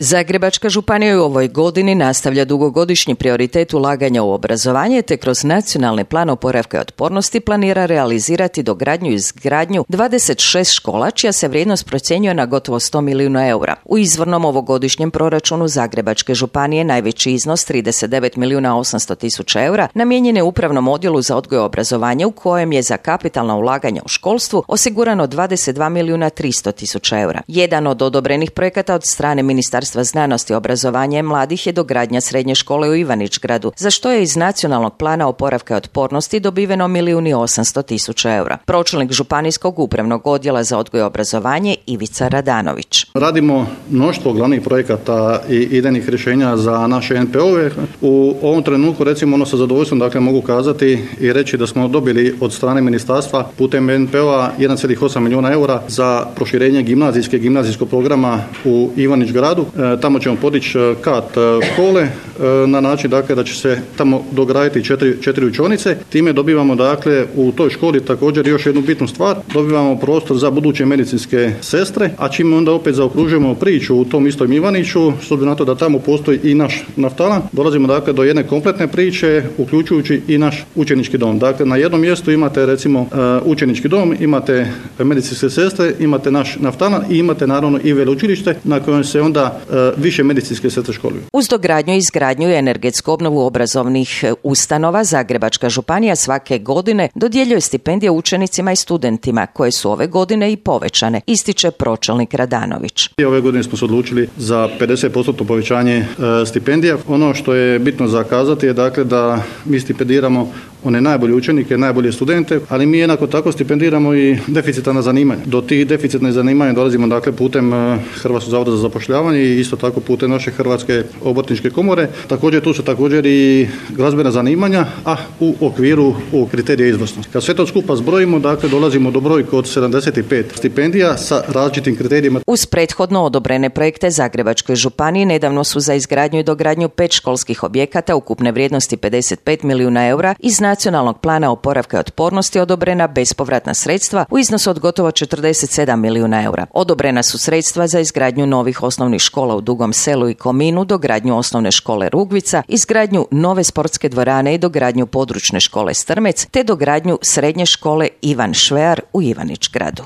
Zagrebačka županija u ovoj godini nastavlja dugogodišnji prioritet ulaganja u obrazovanje te kroz nacionalni plan oporavka i otpornosti planira realizirati dogradnju i izgradnju 26 škola čija se vrijednost procjenjuje na gotovo 100 milijuna eura. U izvornom ovogodišnjem proračunu Zagrebačke županije najveći iznos 39 milijuna 800 tisuća eura namijenjen je upravnom odjelu za odgoj i obrazovanje u kojem je za kapitalna ulaganja u školstvu osigurano 22 milijuna 300 tisuća eura. Jedan od odobrenih projekata od strane Ministarstva znanosti, obrazovanja i mladih je dogradnja srednje škole u Ivanić-Gradu, za što je iz nacionalnog plana oporavka i otpornosti dobiveno 1.800.000 tisuća eura. Pročelnik Županijskog upravnog odjela za odgoj i obrazovanje Ivica Radanović. Radimo mnoštvo glavnih projekata i idejnih rješenja za naše NPO-ve. U ovom trenutku recimo sa zadovoljstvom mogu kazati i reći da smo dobili od strane ministarstva putem NPO-a 1,8 milijuna eura za proširenje gimnazijskog programa u Ivanić-Gradu. Tamo ćemo podići kat škole na način da će se tamo dograditi četiri učionice. Time dobivamo u toj školi također još jednu bitnu stvar. Dobivamo prostor za buduće medicinske sestre, a čime onda opet zaokružujemo priču u tom istom Ivaniću, s obzirom na to da tamo postoji i naš naftalan, dolazimo do jedne kompletne priče, uključujući i naš učenički dom. Dakle, na jednom mjestu imate recimo učenički dom, imate medicinske sestre, imate naš naftalan i imate naravno i veleučilište na kojem se onda više medicinske sestre školuju. Uz dogradnju i izgradnju i energetsku obnovu obrazovnih ustanova, Zagrebačka županija svake godine dodjeljuje stipendije učenicima i studentima, koje su ove godine i povećane, ističe pročelnik Radanović. Ove godine smo se odlučili za 50% povećanje stipendija. Ono što je bitno za kazati je da mi stipendiramo one najbolje učenike, najbolje studente, ali mi jednako tako stipendiramo i deficitarna zanimanja. Do tih deficitnih zanimanja dolazimo putem Hrvatskog zavoda za zapošljavanje i isto tako putem naše Hrvatske obrtničke komore. Također tu su i glazbena zanimanja, a u okviru kriterija izvrsnosti. Kad sve to skupa zbrojimo, dolazimo do brojke od 75 stipendija sa različitim kriterijima. Uz prethodno odobrene projekte Zagrebačkoj županiji nedavno su za izgradnju i dogradnju 5 školskih objekata ukupne vrijednosti 55 milijuna eura iz nacionalnog plana oporavka i otpornosti odobrena bespovratna sredstva u iznosu od gotovo 47 milijuna eura. Odobrena su sredstva za izgradnju novih osnovnih škola u Dugom Selu i Kominu, dogradnju osnovne škole Rugvica, izgradnju nove sportske dvorane i dogradnju područne škole Strmec, te dogradnju srednje škole Ivan Švear u Ivanić-Gradu.